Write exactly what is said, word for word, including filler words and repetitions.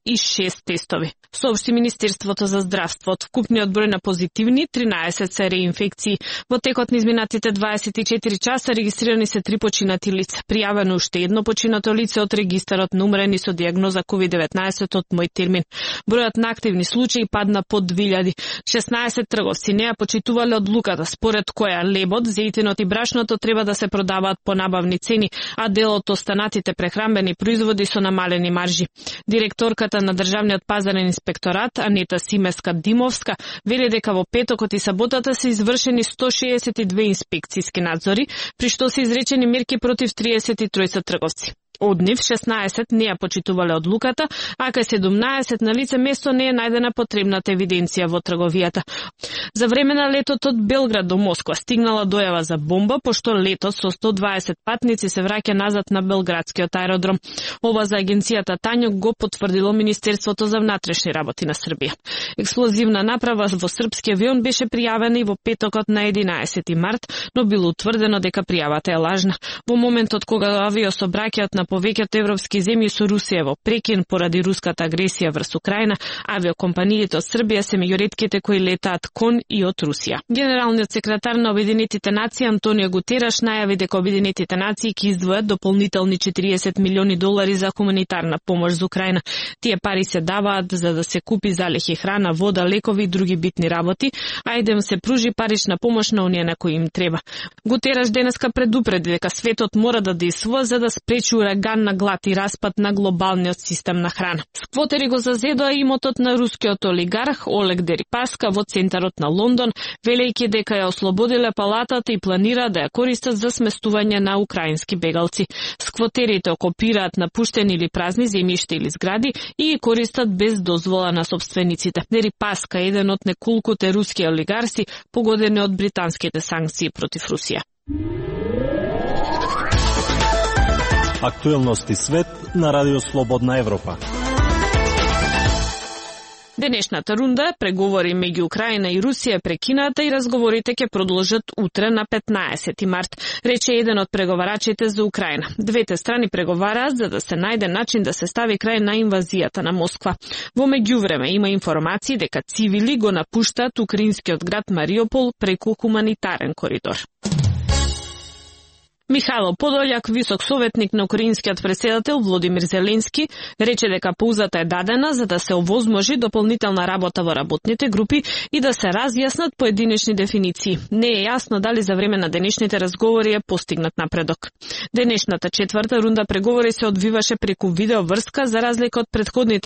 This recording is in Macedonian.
и шест тестови. Соопшти Министерството за здравство. Од вкупниот број на позитивни, тринаесет се реинфекции. Во текот на изминатите дваесет и четири часа регистрирани се три починати лица. Пријавено уште едно починато лице од регистарот на умрени со дијагноза ковид деветнаесет од мој термин. Бројот на активни случаи падна под две илјади. шеснаесет трговци не ја почитувале одлуката според која лебот, зејтинот и брашното треба да се продаваат по набавни цени, а дел од останатите прехранбени производи со намалени маржи. Директорката на Државниот пазарен инспекторат Анета Симеска-Димовска вели дека во петокот и саботата се извршени сто шеесет и две инспекцијски надзори, при што се изречени мерки против триесет и тројца трговци. Од нив шеснаесет не ја почитувале одлуката, а кај седумнаесет на лице место не е најдена потребната евиденција во трговијата. За време на летот од Белград до Москва стигнала дојава за бомба, пошто летот со сто дваесет патници се враќа назад на белградскиот аеродром. Ова за агенцијата Тањок го потврдило Министерството за внатрешни работи на Србија. Експлозивна направа во српски авион беше пријавена и во петокот на единаесети март, но било утврдено дека пријавата е лажна. Во моментот кога авиособраќајот на повеќето европски земји со Русија во прекин поради руската агресија врз Украина, авиокомпаниите од Србија се меѓу ретките кои летаат кон и од Русија. Генералниот секретар на Обединетите нации Антонио Гутераш најави дека Обединетите нации ќе издвојат дополнителни четириесет милиони долари за хуманитарна помош за Украина. Тие пари се даваат за да се купи залехи храна, вода, лекови и други битни работи, а и да им се пружи парична помош на оние на кои им треба. Гутераш денеска предупреди дека светот мора да действува за да спречи ураган на глад и распад на глобалниот систем на храна. Сквотери го зазедоа имотот на рускиот олигарх Олег Дерипаска во центарот на Лондон, велејќи дека ја ослободиле палатата и планира да ја користат за сместување на украински бегалци. Сквотерите окупираат напуштени или празни земјишта или згради и ги користат без дозвола на собствениците. Дерипаска е еден од неколкуте руски олигарси погодени од британските санкции против Русија. Актуелности свет на Радио Слободна Европа. Денешната рунда преговори меѓу Украина и Русија прекината и разговорите ќе продолжат утре на петнаесети март, рече еден од преговарачите за Украина. Двете страни преговараат за да се најде начин да се стави крај на инвазијата на Москва. Во меѓувреме има информации дека цивили го напуштаат украинскиот град Мариупол преку хуманитарен коридор. Михајло Подољак, висок советник на украинскиот претседател Володимир Зеленски, рече дека паузата е дадена за да се овозможи дополнителна работа во работните групи и да се разјаснат поединечни дефиниции. Не е јасно дали за време на денешните разговори е постигнат напредок. Денешната четврта рунда преговори се одвиваше преку видеоврска за разлика од претходните